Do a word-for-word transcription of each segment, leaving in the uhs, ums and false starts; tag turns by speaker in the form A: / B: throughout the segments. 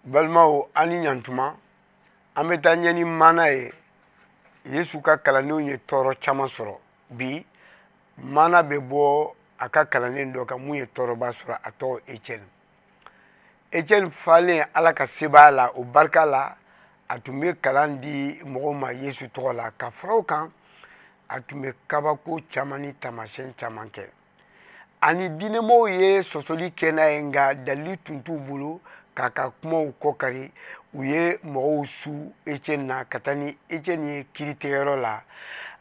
A: Balimaw, an ni ɲantuma. An bɛ taa ɲɛ ni maana ye. Yesu ka kalandenw ye tɔɔrɔ caman sɔrɔ. Bi maana bɛ bɔ a ka kalanden dɔ kan mun ye tɔɔrɔba sɔrɔ, a tɔgɔ Etiɛni. Etiɛni falen Ala ka sebaaya la, o barika la a tun bɛ kalan di mɔgɔw ma Yesu tɔgɔ la. Ka fara o kan, a tun bɛ kabako caman ni taamasiyɛn caman kɛ, ani diinɛmɔgɔw ye sɔsɔli kɛ n'a ye, nka dalili tun t'u bolo k'a ka kumaw kɔkari. U ye mɔgɔw su Etiɛni na ka taa ni Etiɛni ye kiiritigɛyɔrɔ la,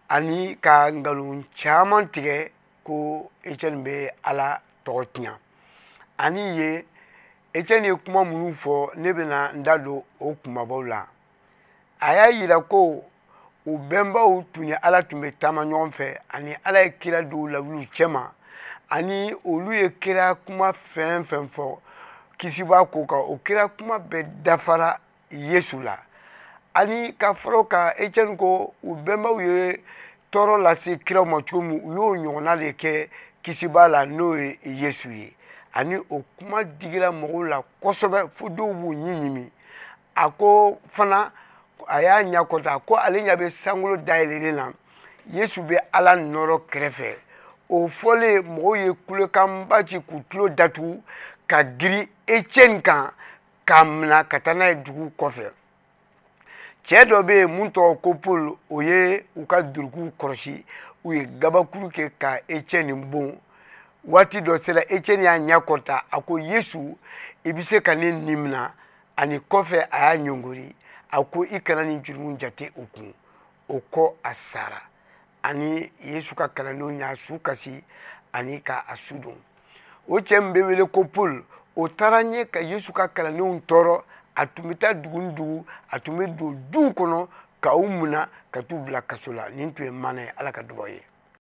A: ani ka nkalon caman tigɛ ko Etiɛni bɛ Ala tɔgɔ tiɲɛ. Ani yen Etiɛni ye kuma minnu fɔ, ne bɛna n da don o kumabaw la. A y'a yira ko u bɛnbaw tun ni Ala tun bɛ taama ɲɔgɔn fɛ, ani Ala ye kira dɔw lawuli u cɛma, ani olu ye kira kuma fɛn fɛn fɔ kisibaa ko kan, o kira kuma bɛɛ dafara Yesu la. Ani ka fara o kan, Etiɛni ko u bɛnbaw ye tɔɔrɔ lase kiraw ma cogo min, u y'o ɲɔgɔnna de kɛ kisibaa la, n'o ye Yesu ye. Ani o kuma digira mɔgɔw la kosɛbɛ, fo dɔw b'u ɲin ɲimi. A ko fana, a y'a ɲɛ kɔta ko ale ɲɛ bɛ sankolo dayɛlɛlen na, Yesu bɛ Ala nɔrɔ kɛrɛfɛ. O fɔlen, mɔgɔw ye kulekanba ci k'u tulo datugu ka girin Etiɛni kan k'a minɛ ka taa n'a ye dugu kɔfɛ. Cɛ dɔ bɛ yen mun tɔgɔ ko Paul, o ye u ka durukiw kɔlɔsi. U ye gabakuru kɛ ka Etiɛni bon. Waati dɔ sera, Etiɛni y'a ɲɛ kɔrɔta, a ko: "Yesu, i bɛ se ka ne ni minɛ." Ani kɔfɛ a y'a ɲɔngori, a ko: "I kana nin jurumu jate o kun." O kɔ, a sara. Ani Yesu ka kalandenw y'a su kasi ani ka a su don. O cɛ min bɛ wele ko Paul, o taara ɲɛ ka Yesu ka kalandenw tɔɔrɔ. A tun bɛ taa dugu ni dugu, a tun bɛ don duw kɔnɔ ka u minɛ ka t'u bila kaso la. Nin tun ye maana ye. Ala ka dugawu ye.